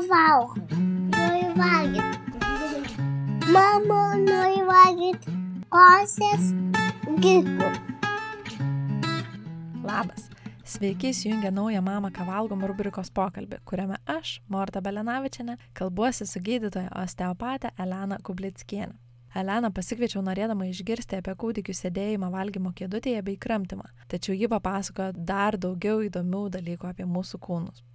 valgo. Noriu valgyt. Mama nori valgyt košės gikų. Labas. Sveiki įsijungę naują Mama ką valgom rubrikos pokalbį, kuriame aš, Morta Belenavičienė, kalbuosi su gydytoja osteopate Elena Kublickienė. Eleną pasikviečiau norėdama išgirsti apie kūdikių sėdėjimą valgymo kėdutėje bei kramtymą, tačiau ji papasakojo dar daugiau įdomių dalykų apie mūsų kūnus.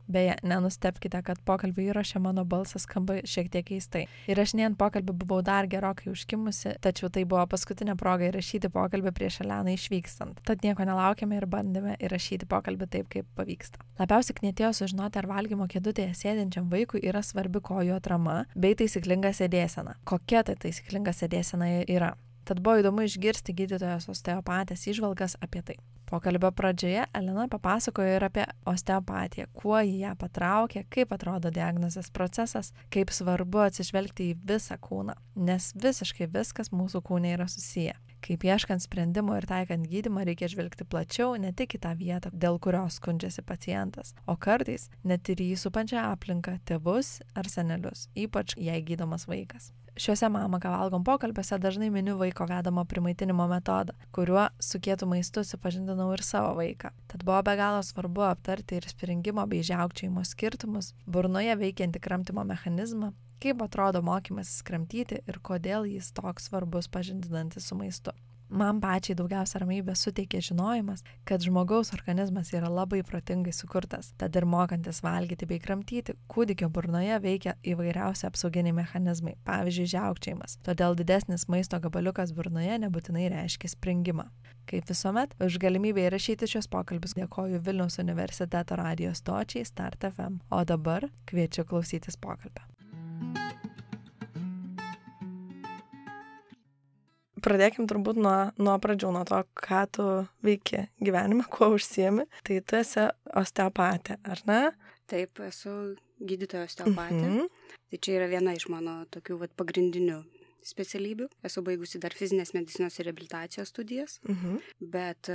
Beje, nenustebkite, kad pokalbį įraše mano balsas skamba šiek tiek keistai. Įrašinėjant pokalbį buvau dar gerokai užkimusi, tačiau tai buvo paskutinė proga įrašyti pokalbį prieš Eleną išvykstant. Tad nieko nelaukėme ir bandėme įrašyti pokalbį taip, kaip pavyksta. Labiausiai knietėjo sužinoti, ar valgymo kėdutėje sėdinčiam vaikui yra svarbi kojų atrama bei taisyklinga sėdėsena. Kokia tai taisyklinga sėdėsena yra? Tad buvo įdomu išgirsti gydytojos osteopatės įžvalgas apie tai. Pokalbio pradžioje Elena papasakojo ir apie osteopatiją, kuo į ją patraukė, kaip atrodo diagnozės procesas, kaip svarbu atsižvelgti į visą kūną, nes visiškai viskas mūsų kūne yra susiję. Kaip ieškant sprendimo ir taikant gydymą reikia žvelgti plačiau ne tik į tą vietą, dėl kurios skundžiasi pacientas, o kartais net ir į supančią aplinką, tėvus ar senelius, ypač jei gydomas vaikas. Šiuose Mama ką valgom pokalbiuose dažnai miniu vaiko vedamo primaitinimo metodą, kuriuo su kietu maistu supažindinau ir savo vaiką. Tad buvo be galo svarbu aptarti ir spiringimo bei žiaukčiojimo skirtumus, burnoje veikiantį kramtymo mechanizmą, kaip atrodo mokymasis kramtyti ir kodėl jis toks svarbus pažindinantis su maistu. Man pačiai daugiausia ramybės suteikė žinojimas, kad žmogaus organizmas yra labai protingai sukurtas, tad ir mokantis valgyti bei kramtyti, kūdikio burnoje veikia įvairiausi apsauginiai mechanizmai, pavyzdžiui, žiaukčiojimas. Todėl didesnis maisto gabaliukas burnoje nebūtinai reiškia springimą. Kaip visuomet, už galimybę įrašyti šios pokalbius dėkoju Vilniaus universiteto radijo stočiai Start FM. O dabar kviečiu klausytis pokalbio. Pradėkim turbūt nuo pradžių, nuo to, ką tu veiki gyvenime, kuo užsiemi. Tai tu esi osteopatė, ar ne? Taip, esu gydytoja osteopatė. Tai čia yra viena iš mano tokių pagrindinių specialybių. Esu baigusi dar fizinės medicinos ir reabilitacijos studijas. Bet,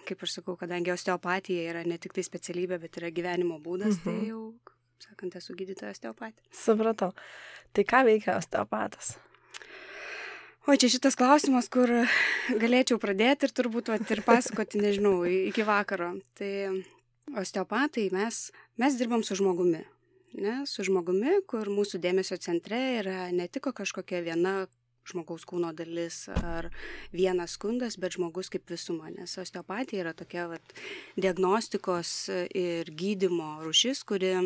kaip aš sakau, kadangi osteopatija yra ne tik tai specialybė, bet yra gyvenimo būdas, tai jau, sakant, esu gydytoja osteopatė. Supratau. Tai ką veikia osteopatas? O čia šitas klausimas, kur galėčiau pradėti ir turbūt ir pasakoti, nežinau, iki vakaro. Tai osteopatai mes dirbam su žmogumi. Ne? Su žmogumi, kur mūsų dėmesio centre yra ne tik kažkokia viena žmogaus kūno dalis ar vienas skundas, bet žmogus kaip visuma. Nes osteopatija yra tokia diagnostikos ir gydymo rūšis, kuri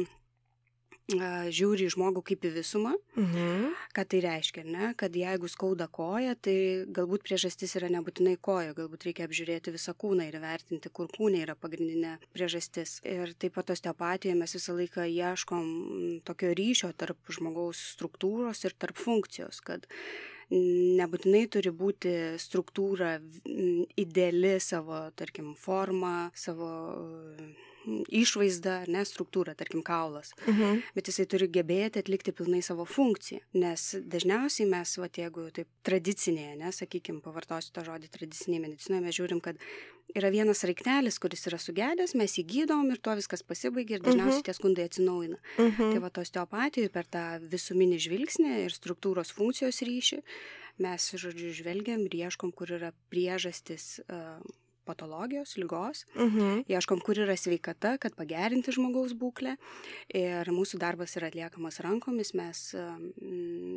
žiūri į žmogų kaip į visumą. Ką tai reiškia, ne? Kad jeigu skauda koja, tai galbūt priežastis yra nebūtinai koja, galbūt reikia apžiūrėti visą kūną ir vertinti, kur kūne yra pagrindinė priežastis. Ir taip pat osteopatijoje mes visą laiką ieškom tokio ryšio tarp žmogaus struktūros ir tarp funkcijos, kad nebūtinai turi būti struktūra ideali savo, tarkim, forma, savo išvaizda, ne struktūra, tarkim, kaulas. Bet jisai turi gebėti atlikti pilnai savo funkciją. Nes dažniausiai mes, jeigu taip tradicinėje, sakykim, pavartosiu tą žodį tradicinėje medicinoje, mes žiūrim, kad yra vienas raiktelis, kuris yra sugedęs, mes jį gydom ir tuo viskas pasibaigia ir dažniausiai tie skundai atsinaujina. Tai osteopatijoje per tą visuminį žvilgsnį ir struktūros funkcijos ryšį mes, žodžiu, žvelgiam ir ieškom, kur yra priežastis patologijos, lygos, ieškom, kur yra sveikata, kad pagerinti žmogaus būklę. Ir mūsų darbas yra atliekamas rankomis, mes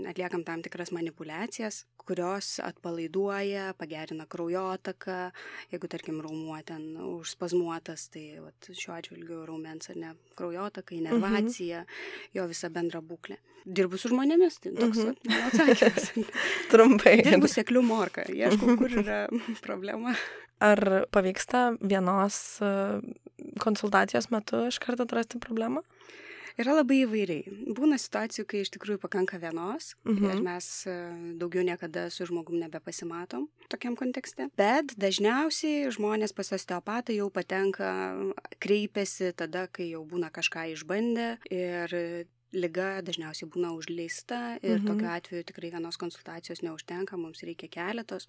atliekam tam tikras manipulacijas, kurios atpalaiduoja, pagerina kraujotaką, jeigu, tarkim, raumuo ten užspazmuotas, tai šiuo atžvilgiu raumens ar ne kraujotaka, inervacija, jo visa bendra būklė. Dirbu su žmonėmis, tai toks atsakymas. Trumpai. Dirbu sekliu morką, ieškau, kur yra problema. Ar pavyksta vienos konsultacijos metu iš karto atrasti problemą? Yra labai įvairiai. Būna situacijų, kai iš tikrųjų pakanka vienos ir mes daugiau niekada su žmogum nebepasimatom tokiam kontekste. Bet dažniausiai žmonės pas osteopatą jau patenka, kreipiasi tada, kai jau būna kažką išbandę ir liga dažniausiai būna užleista ir tokiu atveju tikrai vienos konsultacijos neužtenka, mums reikia keletos.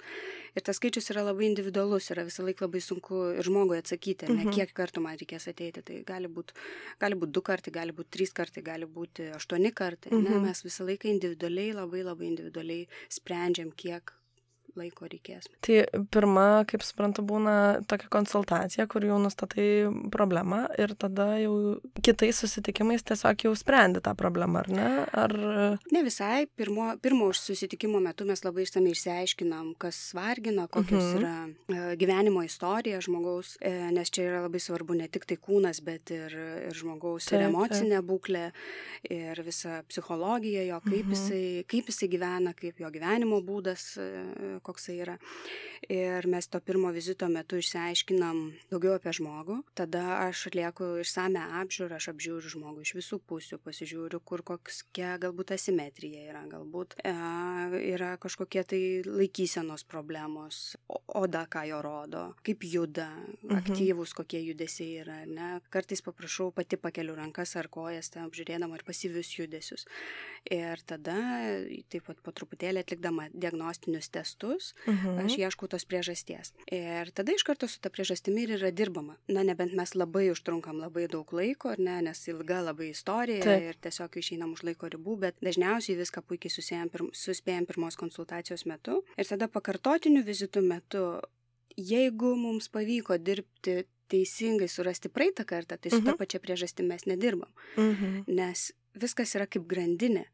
Ir tas skaičius yra labai individualus, yra visą laiką labai sunku ir žmogui atsakyti, ne kiek kartų man reikės ateiti. Tai gali būti 2 kartai, gali būti 3 kartai, gali būti 8 kartai. Ne? Mes visą laiką individualiai, labai individualiai sprendžiam, kiek laiko reikės. Tai pirma, kaip suprantu, būna tokia konsultacija, kur jau nustatai problemą ir tada jau kitais susitikimais tiesiog jau sprendi tą problemą, ar ne? Ar... Ne visai. Pirmo susitikimo metu mes labai išsamiai išsiaiškinam, kas vargina, kokios yra gyvenimo istorija žmogaus, nes čia yra labai svarbu ne tik tai kūnas, bet ir žmogaus ir emocinė būklė, ir visa psichologija jo, kaip jisai gyvena, kaip jo gyvenimo būdas, koksai yra. Ir mes to pirmo vizito metu išsiaiškinam daugiau apie žmogų. Tada aš atlieku išsame apžiūrą, aš apžiūriu žmogų iš visų pusių, pasižiūriu, kur kokia galbūt asimetrija yra, galbūt yra kažkokie tai laikysenos problemos, oda ką jo rodo, kaip juda, aktyvūs kokie judesiai yra, ne? Kartais paprašau, pati pakeliu rankas ar kojas, apžiūrėdama ir pasyvius judesius. Ir tada, taip pat po truputėlį atlikdama diagnostinius testus, aš ieškau tos priežasties. Ir tada iš karto su ta priežastimi ir yra dirbama. Na, nebent mes labai užtrunkam labai daug laiko, ar ne, nes ilga labai istorija ir tiesiog išeinam už laiko ribų, bet dažniausiai viską puikiai suspėjam pirmos konsultacijos metu. Ir tada pakartotinių vizitų metu, jeigu mums pavyko dirbti teisingai, surasti praeitą kartą, tai su ta pačia priežastimi mes nedirbam. Nes viskas yra kaip grandinė,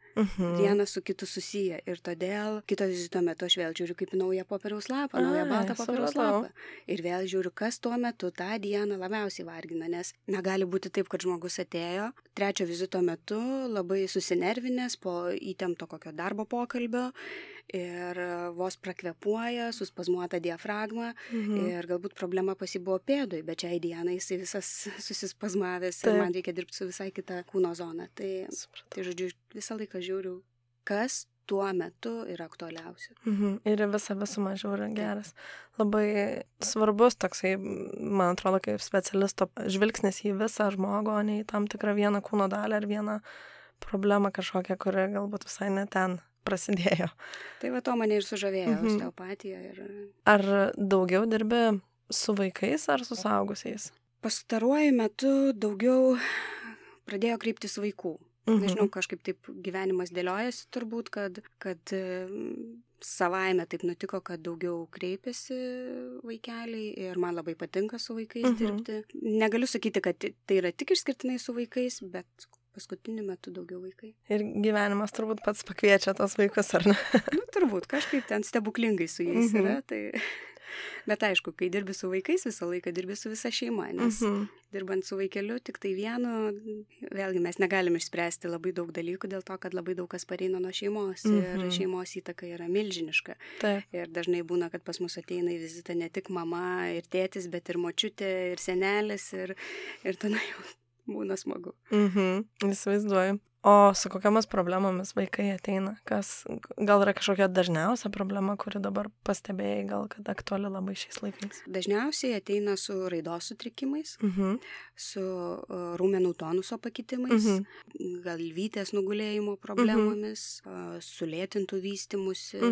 vienas su kitu susiję. Ir todėl kito vizito metu aš vėl žiūriu kaip naują popieriaus lapą, naują baltą popieriaus lapą. Ir vėl žiūriu, kas tuo metu tą dieną labiausiai vargina, nes negali būti taip, kad žmogus atėjo 3 vizito metu labai susinervinęs po įtempto kokio darbo pokalbio ir vos prakvepuoja, suspazmuota diafragma ir galbūt problema pas jį buvo pėdoj, bet šiai dienai jisai visas susispazmavęs ir man reikia dirbti su visai kita kūno zona. Tai žodžiu, visą laiką žiūriu, kas tuo metu yra aktualiausia. Ir visą visumą žiūri geras. Labai svarbus toksai, man atrodo, kaip specialisto žvilgsnis į visą žmogų, o ne į tam tikrą vieną kūno dalį ar vieną problemą kažkokią, kuri galbūt visai ne ten prasidėjo. Tai va to mane ir sužavėjo osteopatija. Ar daugiau dirbi su vaikais ar su suaugusiais? Pastaruoju metu daugiau pradėjo kreiptis vaikų. Nežinau, kažkaip taip gyvenimas dėliojasi turbūt, kad savaime taip nutiko, kad daugiau kreipiasi vaikeliai ir man labai patinka su vaikais dirbti. Negaliu sakyti, kad tai yra tik išskirtinai su vaikais, bet paskutiniu metu daugiau vaikai. Ir gyvenimas turbūt pats pakviečia tos vaikus, ar ne? Turbūt, kažkaip ten stebuklingai su jais yra. Tai... Bet aišku, kai dirbi su vaikais, visą laiką dirbi su visa šeima, nes dirbant su vaikeliu tik tai vienu, vėlgi mes negalim išspręsti labai daug dalykų dėl to, kad labai daug kas pareina nuo šeimos ir šeimos įtaka yra milžiniška. Ir dažnai būna, kad pas mus ateina į vizitą ne tik mama ir tėtis, bet ir močiutė ir senelis ir tada jau būna smagu. Įsivaizduoju. O su kokiamis problemomis vaikai ateina? Gal yra kažkokia dažniausia problema, kuri dabar pastebėjai, gal kad aktuali labai šiais laikais? Dažniausiai ateina su raidos sutrikimais, su raumenų tonuso pakitimais, galvytės nugulėjimo problemomis, sulėtintų vystymusi,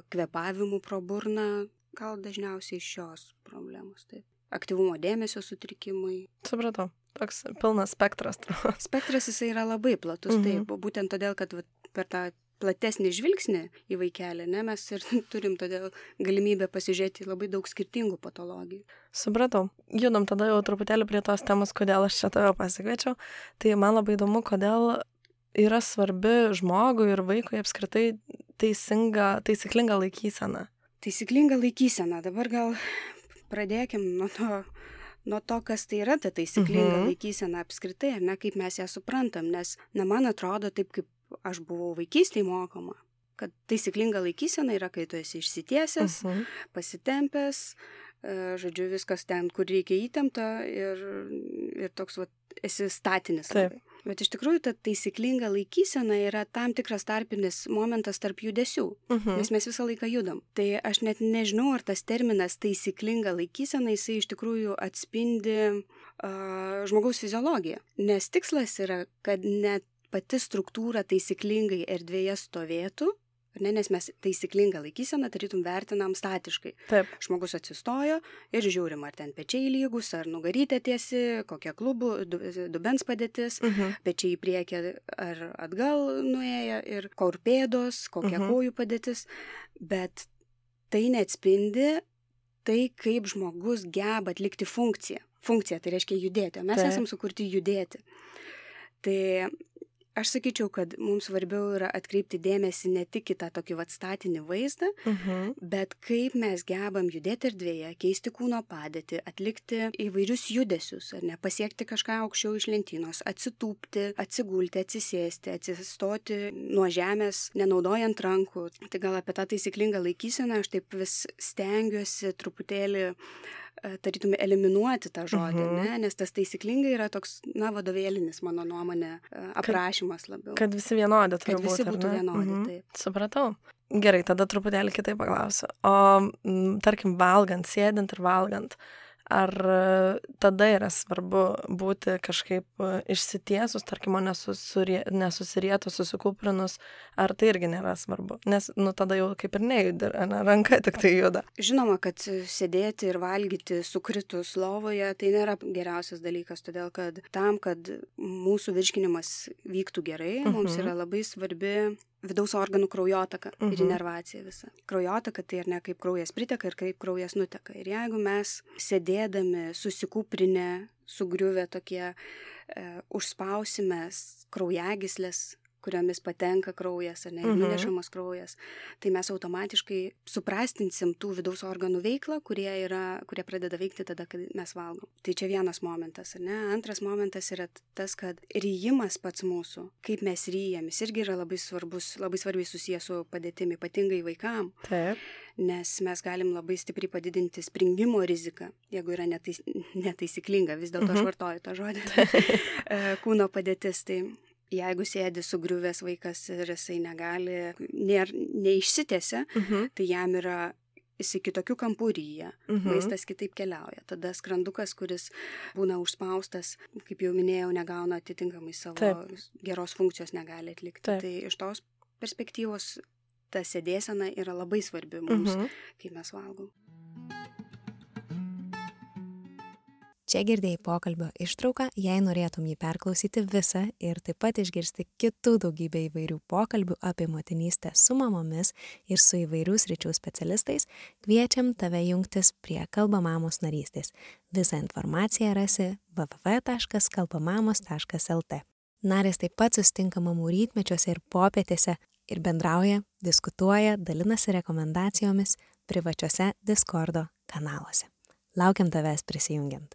kvėpavimu pro burną, gal dažniausiai šios problemos. Taip. Aktyvumo dėmesio sutrikimai. Supratau. Toks pilnas spektras. Spektras jisai yra labai platus, taip, būtent todėl, kad per tą platesnį žvilgsnį į vaikelį, ne, mes ir turim todėl galimybę pasižiūrėti labai daug skirtingų patologijų. Supratau. Judam tada jau truputėlį prie tos temos, kodėl aš čia tave pasikviečiau. Tai man labai įdomu, kodėl yra svarbi žmogui ir vaikui apskritai taisyklinga laikysena. Taisyklinga laikysena. Dabar gal pradėkim nuo to, kas tai yra ta taisyklinga laikysena apskritai, ar ne, kaip mes ją suprantam, nes, man atrodo, taip kaip aš buvau vaikystėje mokoma, kad taisyklinga laikysena yra, kai tu esi išsitiesęs, pasitempęs, žodžiu, viskas ten, kur reikia įtempta ir toks, esi statinis. Labai. Bet iš tikrųjų, ta taisyklinga laikysena yra tam tikras tarpinis momentas tarp judesių, nes mes visą laiką judam. Tai aš net nežinau, ar tas terminas taisyklinga laikysena, jisai iš tikrųjų atspindi žmogaus fiziologiją. Nes tikslas yra, kad net pati struktūra taisyklingai erdvėje stovėtų, nes mes taisyklingą laikyseną tarytum vertinam statiškai. Taip. Žmogus atsistojo ir žiūrim, ar ten pečiai lygus, ar nugarytė tiesi, kokia klubų, dubens padėtis, pečiai į priekį ar atgal nuėjo ir kur pėdos, kokia kojų padėtis. Bet tai neatspindi tai, kaip žmogus geba atlikti funkciją. Funkcija tai reiškia judėti, o mes esam sukurti judėti. Tai aš sakyčiau, kad mums svarbiau yra atkreipti dėmesį ne tik į tą tokį statinį vaizdą, bet kaip mes gebam judėti erdvėje, keisti kūno padėtį, atlikti įvairius judesius, ar ne, pasiekti kažką aukščiau iš lentynos, atsitūpti, atsigulti, atsisėsti, atsistoti nuo žemės, nenaudojant rankų. Tai gal apie tą taisyklingą laikyseną aš taip vis stengiuosi truputėlį tarytum eliminuoti tą žodį, nes tas taisyklingai yra toks, vadovėlinis, mano nuomonė, aprašymas labiau. Kad visi vienodi turi būti. Kad visi būtų vienodi, taip. Supratau. Gerai, tada truputėlį kitaip paklausiu. O, tarkim, valgant, sėdint ir valgant, ar tada yra svarbu būti kažkaip išsitiesus, tarkim, nesusirietus, susikūprinus, ar tai irgi nėra svarbu? Nes, tada jau kaip ir nejudi, ranka tik tai juda. Žinoma, kad sėdėti ir valgyti sukritus lovoje, tai nėra geriausias dalykas, todėl kad tam, kad mūsų virškinimas vyktų gerai, mums yra labai svarbi vidaus organų kraujotaka ir inervacija visa. Kraujotaka tai ir ne kaip kraujas priteka ir kaip kraujas nuteka. Ir jeigu mes sėdėdami, susikūprinę, sugriuvę tokie, užspausime kraujagyslės, kuriomis patenka kraujas, ar ne, ir nunešamas kraujas, tai mes automatiškai suprastinsim tų vidaus organų veiklą, kurie pradeda veikti tada, kai mes valgom. Tai čia vienas momentas, ar ne? Antras momentas yra tas, kad ryjimas pats mūsų, kaip mes ryjamės, irgi yra labai svarbiai susijęs su padėtimi, ypatingai vaikam. Taip. Nes mes galim labai stipriai padidinti springimo riziką, jeigu yra netaisyklinga, vis dėlto aš vartoju tą žodį, kūno padėtis. Tai jeigu sėdi sugriuvęs vaikas ir jisai negali, neišsitiesia, tai jam yra jisai kitokių kampų ryja, maistas kitaip keliauja. Tada skrandukas, kuris būna užspaustas, kaip jau minėjau, negauna atitinkamai savo geros funkcijos negali atlikti. Tai iš tos perspektyvos ta sėdėsena yra labai svarbi mums, kai mes valgom. Čia girdėjai pokalbio ištrauką, jei norėtum jį perklausyti visą ir taip pat išgirsti kitų daugybę įvairių pokalbių apie motinystę su mamomis ir su įvairių sričių specialistais, kviečiam tave jungtis prie Kalba mamos narystės. Visą informaciją rasi www.kalbamamos.lt. Narės taip pat susitinka mamų rytmečiuose ir popietėse ir bendrauja, diskutuoja, dalinasi rekomendacijomis privačiuose Discordo kanaluose. Laukiam tavęs prisijungiant.